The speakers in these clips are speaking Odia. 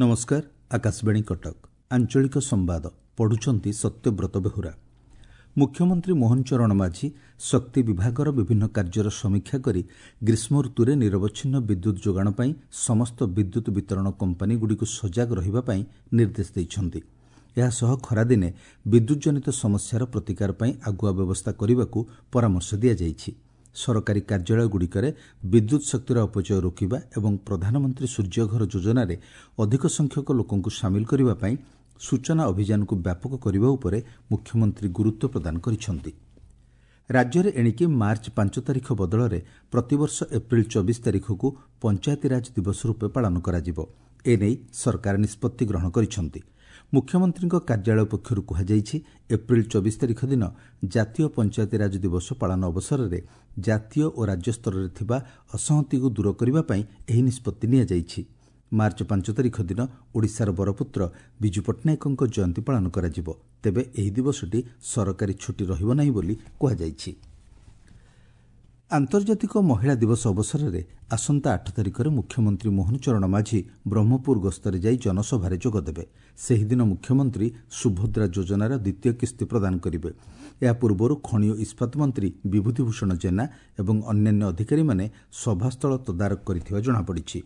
ନମସ୍କାର, ଆକାଶବାଣୀ କଟକ, ଆଞ୍ଚଳିକ ସମ୍ବାଦ ପଢୁଛନ୍ତି ସତ୍ୟବ୍ରତ ବେହୁରା। ମୁଖ୍ୟମନ୍ତ୍ରୀ ମୋହନ ଚରଣ ମାଝୀ ଶକ୍ତି ବିଭାଗର ବିଭିନ୍ନ କାର୍ଯ୍ୟର ସମୀକ୍ଷା କରି ଗ୍ରୀଷ୍ମ ଋତୁରେ ନିରବଚ୍ଛିନ୍ନ ବିଦ୍ୟୁତ୍ ଯୋଗାଣ ପାଇଁ ସମସ୍ତ ବିଦ୍ୟୁତ୍ ବିତରଣ କମ୍ପାନୀଗୁଡ଼ିକୁ ସଜାଗ ରହିବା ପାଇଁ ନିର୍ଦ୍ଦେଶ ଦେଇଛନ୍ତି। ଏହାସହ ଖରାଦିନେ ବିଦ୍ୟୁତ୍ ଜନିତ ସମସ୍ୟାର ପ୍ରତିକାର ପାଇଁ ଆଗୁଆ ବ୍ୟବସ୍ଥା କରିବାକୁ ପରାମର୍ଶ ଦିଆଯାଇଛି। ସରକାରୀ କାର୍ଯ୍ୟାଳୟଗୁଡ଼ିକରେ ବିଦ୍ୟୁତ୍ ଶକ୍ତିର ଅପଚୟ ରୋକିବା ଏବଂ ପ୍ରଧାନମନ୍ତ୍ରୀ ସୂର୍ଯ୍ୟଘର ଯୋଜନାରେ ଅଧିକ ସଂଖ୍ୟକ ଲୋକଙ୍କୁ ସାମିଲ କରିବା ପାଇଁ ସୂଚନା ଅଭିଯାନକୁ ବ୍ୟାପକ କରିବା ଉପରେ ମୁଖ୍ୟମନ୍ତ୍ରୀ ଗୁରୁତ୍ୱ ପ୍ରଦାନ କରିଛନ୍ତି। ରାଜ୍ୟରେ ଏଣିକି ମାର୍ଚ୍ଚ 5 ତାରିଖ ବଦଳରେ ପ୍ରତିବର୍ଷ ଏପ୍ରିଲ 24 ତାରିଖକୁ ପଞ୍ଚାୟତିରାଜ ଦିବସ ରୂପେ ପାଳନ କରାଯିବ। ଏନେଇ ସରକାର ନିଷ୍ପତ୍ତି ଗ୍ରହଣ କରିଛନ୍ତି। ମୁଖ୍ୟମନ୍ତ୍ରୀଙ୍କ କାର୍ଯ୍ୟାଳୟ ପକ୍ଷରୁ କୁହାଯାଇଛି, ଏପ୍ରିଲ 24 ତାରିଖ ଦିନ ଜାତୀୟ ପଞ୍ଚାୟତିରାଜ ଦିବସ ପାଳନ ଅବସରରେ ଜାତୀୟ ଓ ରାଜ୍ୟସ୍ତରରେ ଥିବା ଅସହତିକୁ ଦୂର କରିବା ପାଇଁ ଏହି ନିଷ୍ପତ୍ତି ନିଆଯାଇଛି। ମାର୍ଚ୍ଚ 5 ତାରିଖ ଦିନ ଓଡ଼ିଶାର ବରପୁତ୍ର ବିଜୁ ପଟ୍ଟନାୟକଙ୍କ ଜୟନ୍ତୀ ପାଳନ କରାଯିବ। ତେବେ ଏହି ଦିବସଟି ସରକାରୀ ଛୁଟି ରହିବ ନାହିଁ ବୋଲି କୁହାଯାଇଛି। ଆନ୍ତର୍ଜାତିକ ମହିଳା ଦିବସ ଅବସରରେ ଆସନ୍ତା 8 ତାରିଖରେ ମୁଖ୍ୟମନ୍ତ୍ରୀ ମୋହନ ଚରଣ ମାଝୀ ବ୍ରହ୍ମପୁର ଗସ୍ତରେ ଯାଇ ଜନସଭାରେ ଯୋଗଦେବେ। ସେହିଦିନ ମୁଖ୍ୟମନ୍ତ୍ରୀ ସୁଭଦ୍ରା ଯୋଜନାର ଦ୍ୱିତୀୟ କିସ୍ତି ପ୍ରଦାନ କରିବେ। ଏହା ପୂର୍ବରୁ ଖଣି ଓ ଇସ୍ପାତ ମନ୍ତ୍ରୀ ବିଭୂତି ଭୂଷଣ ଜେନା ଏବଂ ଅନ୍ୟାନ୍ୟ ଅଧିକାରୀମାନେ ସଭାସ୍ଥଳ ତଦାରଖ କରିଥିବା ଜଣାପଡ଼ିଛି।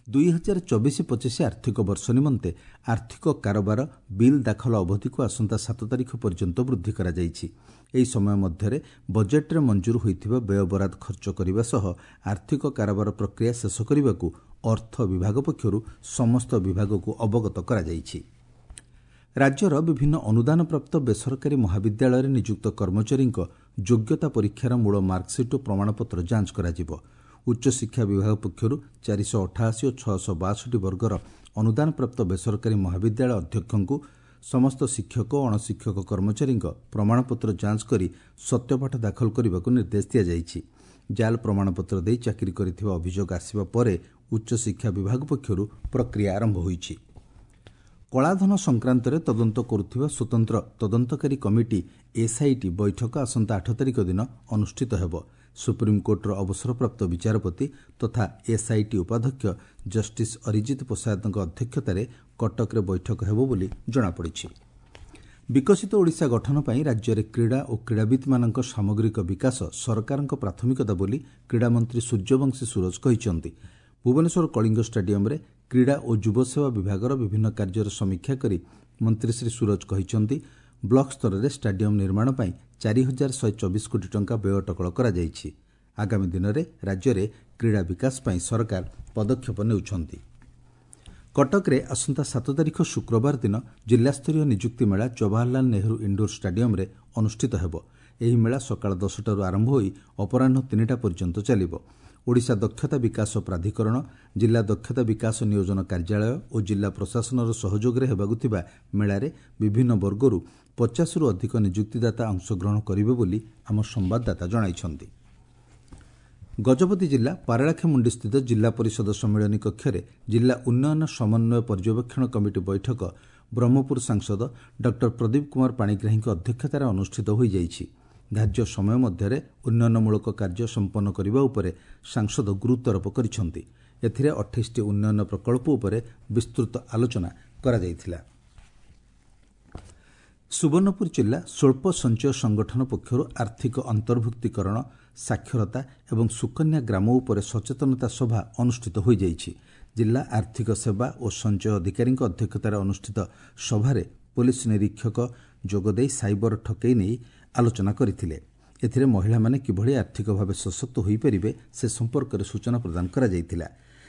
2024-25 ଆର୍ଥିକ ବର୍ଷ ନିମନ୍ତେ ଆର୍ଥିକ କାରବାର ବିଲ୍ ଦାଖଲ ଅବଧିକୁ ଆସନ୍ତା 7 ତାରିଖ ପର୍ଯ୍ୟନ୍ତ ବୃଦ୍ଧି କରାଯାଇଛି। ଏହି ସମୟ ମଧ୍ୟରେ ବଜେଟ୍ରେ ମଞ୍ଜୁର ହୋଇଥିବା ବ୍ୟୟବରାଦ ଖର୍ଚ୍ଚ କରିବା ସହ ଆର୍ଥିକ କାରବାର ପ୍ରକ୍ରିୟା ଶେଷ କରିବାକୁ ଅର୍ଥ ବିଭାଗ ପକ୍ଷରୁ ସମସ୍ତ ବିଭାଗକୁ ଅବଗତ କରାଯାଇଛି। ରାଜ୍ୟର ବିଭିନ୍ନ ଅନୁଦାନପ୍ରାପ୍ତ ବେସରକାରୀ ମହାବିଦ୍ୟାଳୟରେ ନିଯୁକ୍ତ କର୍ମଚାରୀଙ୍କ ଯୋଗ୍ୟତା ପରୀକ୍ଷାର ମୂଳ ମାର୍କସିଟ୍ ଓ ପ୍ରମାଣପତ୍ର ଯାଞ୍ଚ କରାଯିବ। ଉଚ୍ଚଶିକ୍ଷା ବିଭାଗ ପକ୍ଷରୁ 488 ଓ 662 ବର୍ଗର ଅନୁଦାନପ୍ରାପ୍ତ ବେସରକାରୀ ମହାବିଦ୍ୟାଳୟ ଅଧ୍ୟକ୍ଷଙ୍କୁ ସମସ୍ତ ଶିକ୍ଷକ ଓ ଅଣଶିକ୍ଷକ କର୍ମଚାରୀଙ୍କ ପ୍ରମାଣପତ୍ର ଯାଞ୍ଚ କରି ସତ୍ୟପାଠ ଦାଖଲ କରିବାକୁ ନିର୍ଦ୍ଦେଶ ଦିଆଯାଇଛି। ଜାଲ୍ ପ୍ରମାଣପତ୍ର ଦେଇ ଚାକିରି କରିଥିବା ଅଭିଯୋଗ ଆସିବା ପରେ ଉଚ୍ଚଶିକ୍ଷା ବିଭାଗ ପକ୍ଷରୁ ପ୍ରକ୍ରିୟା ଆରମ୍ଭ ହୋଇଛି। କଳାଧନ ସଂକ୍ରାନ୍ତରେ ତଦନ୍ତ କରୁଥିବା ସ୍ୱତନ୍ତ୍ର ତଦନ୍ତକାରୀ କମିଟି ଏସ୍ଆଇଟି ବୈଠକ ଆସନ୍ତା 8 ତାରିଖ ଦିନ ଅନୁଷ୍ଠିତ ହେବ। ସୁପ୍ରିମକୋର୍ଟର ଅବସରପ୍ରାପ୍ତ ବିଚାରପତି ତଥା ଏସ୍ଆଇଟି ଉପାଧ୍ୟକ୍ଷ ଜଷ୍ଟିସ୍ ଅରିଜିତ ପୋସାଦଙ୍କ ଅଧ୍ୟକ୍ଷତାରେ କଟକରେ ବୈଠକ ହେବ ବୋଲି ଜଣାପଡ଼ିଛି। ବିକଶିତ ଓଡ଼ିଶା ଗଠନ ପାଇଁ ରାଜ୍ୟରେ କ୍ରୀଡ଼ା ଓ କ୍ରୀଡ଼ାବିତ୍ମାନଙ୍କ ସାମଗ୍ରିକ ବିକାଶ ସରକାରଙ୍କ ପ୍ରାଥମିକତା ବୋଲି କ୍ରୀଡ଼ାମନ୍ତ୍ରୀ ସୂର୍ଯ୍ୟବଂଶୀ ସୂରଜ କହିଛନ୍ତି। ଭୁବନେଶ୍ୱର କଳିଙ୍ଗ ଷ୍ଟାଡିୟମରେ କ୍ରୀଡ଼ା ଓ ଯୁବସେବା ବିଭାଗର ବିଭିନ୍ନ କାର୍ଯ୍ୟର ସମୀକ୍ଷା କରି ମନ୍ତ୍ରୀ ଶ୍ରୀ ସୂରଜ କହିଛନ୍ତି, ବ୍ଲକ ସ୍ତରରେ ଷ୍ଟାଡିୟମ ନିର୍ମାଣ ପାଇଁ 4124 କୋଟି ଟଙ୍କା ବ୍ୟୟ ଅଟକଳ କରାଯାଇଛି। ଆଗାମୀ ଦିନରେ ରାଜ୍ୟରେ କ୍ରୀଡ଼ା ବିକାଶ ପାଇଁ ସରକାର ପଦକ୍ଷେପ ନେଉଛନ୍ତି। କଟକରେ ଆସନ୍ତା 7 ତାରିଖ ଶୁକ୍ରବାର ଦିନ ଜିଲ୍ଲାସ୍ତରୀୟ ନିଯୁକ୍ତି ମେଳା ଜବାହରଲାଲ ନେହେରୁ ଇଣ୍ଡୋର ଷ୍ଟାଡିୟମରେ ଅନୁଷ୍ଠିତ ହେବ। ଏହି ମେଳା ସକାଳ 10ଟାରୁ ଆରମ୍ଭ ହୋଇ ଅପରାହ୍ନ 3ଟା ପର୍ଯ୍ୟନ୍ତ ଚାଲିବ। ଓଡ଼ିଶା ଦକ୍ଷତା ବିକାଶ ପ୍ରାଧିକରଣ, ଜିଲ୍ଲା ଦକ୍ଷତା ବିକାଶ ନିୟୋଜନ କାର୍ଯ୍ୟାଳୟ ଓ ଜିଲ୍ଲା ପ୍ରଶାସନର ସହଯୋଗରେ ହେବାକୁ ଥିବା ମେଳାରେ ବିଭିନ୍ନ ବର୍ଗରୁ 50ରୁ ଅଧିକ ନିଯୁକ୍ତିଦାତା ଅଂଶଗ୍ରହଣ କରିବେ ବୋଲି ଆମ ସମ୍ବାଦଦାତା ଜଣାଇଛନ୍ତି। ଗଜପତି ଜିଲ୍ଲା ପାରଳାଖେମୁଣ୍ଡିସ୍ଥିତ ଜିଲ୍ଲା ପରିଷଦ ସମ୍ମିଳନୀ କକ୍ଷରେ ଜିଲ୍ଲା ଉନ୍ନୟନ ସମନ୍ୱୟ ପର୍ଯ୍ୟବେକ୍ଷଣ କମିଟି ବୈଠକ ବ୍ରହ୍ମପୁର ସାଂସଦ ଡକ୍ଟର ପ୍ରଦୀପ କୁମାର ପାଣିଗ୍ରାହୀଙ୍କ ଅଧ୍ୟକ୍ଷତାରେ ଅନୁଷ୍ଠିତ ହୋଇଯାଇଛି। ଧାର୍ଯ୍ୟ ସମୟ ମଧ୍ୟରେ ଉନ୍ନୟନମୂଳକ କାର୍ଯ୍ୟ ସମ୍ପନ୍ନ କରିବା ଉପରେ ସାଂସଦ ଗୁରୁତ୍ୱାରୋପ କରିଛନ୍ତି। ଏଥିରେ 28ଟି ଉନ୍ନୟନ ପ୍ରକଳ୍ପ ଉପରେ ବିସ୍ତୃତ ଆଲୋଚନା କରାଯାଇଥିଲା। ସୁବର୍ଣ୍ଣପୁର ଜିଲ୍ଲା ସ୍ୱଳ୍ପ ସଞ୍ଚୟ ସଂଗଠନ ପକ୍ଷରୁ ଆର୍ଥିକ ଅନ୍ତର୍ଭୁକ୍ତୀକରଣ, ସାକ୍ଷରତା ଏବଂ ସୁକନ୍ୟା ଗ୍ରାମ ଉପରେ ସଚେତନତା ସଭା ଅନୁଷ୍ଠିତ ହୋଇଯାଇଛି। ଜିଲ୍ଲା ଆର୍ଥିକ ସେବା ଓ ସଞ୍ଚୟ ଅଧିକାରୀଙ୍କ ଅଧ୍ୟକ୍ଷତାରେ ଅନୁଷ୍ଠିତ ସଭାରେ ପୋଲିସ ନିରୀକ୍ଷକ ଯୋଗଦେଇ ସାଇବର ଠକେଇ ନେଇ ଆଲୋଚନା କରିଥିଲେ। ଏଥିରେ ମହିଳାମାନେ କିଭଳି ଆର୍ଥିକ ଭାବେ ସଶକ୍ତ ହୋଇପାରିବେ ସେ ସମ୍ପର୍କରେ ସୂଚନା ପ୍ରଦାନ କରାଯାଇଥିଲା।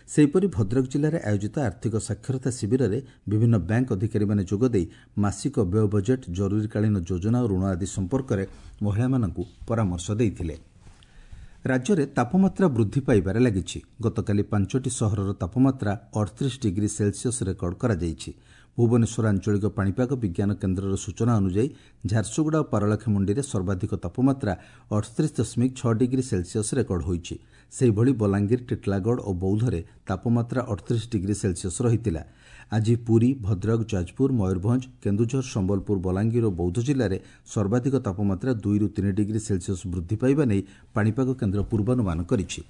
ସେହିପରି ଭଦ୍ରକ ଜିଲ୍ଲାରେ ଆୟୋଜିତ ଆର୍ଥିକ ସାକ୍ଷରତା ଶିବିରରେ ବିଭିନ୍ନ ବ୍ୟାଙ୍କ ଅଧିକାରୀମାନେ ଯୋଗଦେଇ ମାସିକ ବ୍ୟୟ ବଜେଟ୍, ଜରୁରୀକାଳୀନ ଯୋଜନା ଓ ଋଣ ଆଦି ସମ୍ପର୍କରେ ମହିଳାମାନଙ୍କୁ ପରାମର୍ଶ ଦେଇଥିଲେ। ରାଜ୍ୟରେ ତାପମାତ୍ରା ବୃଦ୍ଧି ପାଇବାରେ ଲାଗିଛି। ଗତକାଲି 5ଟି ସହରର ତାପମାତ୍ରା 38 ଡିଗ୍ରୀ ସେଲସିୟସ୍ ରେକର୍ଡ କରାଯାଇଛି। ଭୁବନେଶ୍ୱର ଆଞ୍ଚଳିକ ପାଣିପାଗ ବିଜ୍ଞାନ କେନ୍ଦ୍ରର ସୂଚନା ଅନୁଯାୟୀ ଝାରସୁଗୁଡ଼ା ଓ ପାରଳାଖେମୁଣ୍ଡିରେ ସର୍ବାଧିକ ତାପମାତ୍ରା 38.6 ଡିଗ୍ରୀ ସେଲସିୟସ୍ ରେକର୍ଡ ହୋଇଛି। ସେହିଭଳି ବଲାଙ୍ଗୀର, ଟିଟିଲାଗଡ଼ ଓ ବୌଦ୍ଧରେ ତାପମାତ୍ରା 38 ଡିଗ୍ରୀ ସେଲସିୟସ୍ ରହିଥିଲା। ଆଜି ପୁରୀ, ଭଦ୍ରକ, ଯାଜପୁର, ମୟୂରଭଞ୍ଜ, କେନ୍ଦୁଝର, ସମ୍ବଲପୁର, ବଲାଙ୍ଗୀର ଓ ବୌଦ୍ଧ ଜିଲ୍ଲାରେ ସର୍ବାଧିକ ତାପମାତ୍ରା 2ରୁ 3 ଡିଗ୍ରୀ ସେଲସିୟସ୍ ବୃଦ୍ଧି ପାଇବା ନେଇ ପାଣିପାଗ କେନ୍ଦ୍ର ପୂର୍ବାନୁମାନ କରିଛି।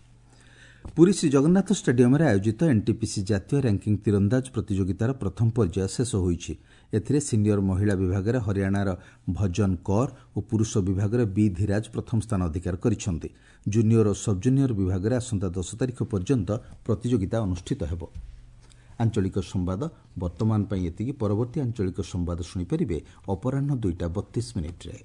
ପୁରୀ ଶ୍ରୀଜଗନ୍ନାଥ ଷ୍ଟାଡିୟମରେ ଆୟୋଜିତ ଏନ୍ଟିପିସି ଜାତୀୟ ର୍ୟାଙ୍କିଂ ତୀରନ୍ଦାଜ ପ୍ରତିଯୋଗିତାର ପ୍ରଥମ ପର୍ଯ୍ୟାୟ ଶେଷ ହୋଇଛି। ଏଥିରେ ସିନିୟର ମହିଳା ବିଭାଗରେ ହରିୟାଣାର ଭଜନ କୌର ଓ ପୁରୁଷ ବିଭାଗରେ ବି ଧୀରାଜ ପ୍ରଥମ ସ୍ଥାନ ଅଧିକାର କରିଛନ୍ତି। ଜୁନିୟର ଓ ସବ୍ଜୁନିୟର ବିଭାଗରେ ଆସନ୍ତା 10 ତାରିଖ ପର୍ଯ୍ୟନ୍ତ ପ୍ରତିଯୋଗିତା ଅନୁଷ୍ଠିତ ହେବ। ଆଞ୍ଚଳିକ ସମ୍ବାଦ ବର୍ତ୍ତମାନ ପାଇଁ ଏତିକି। ପରବର୍ତ୍ତୀ ଆଞ୍ଚଳିକ ସମ୍ବାଦ ଶୁଣିପାରିବେ ଅପରାହ୍ନ 2ଟା 32 ମିନିଟ୍ରେ।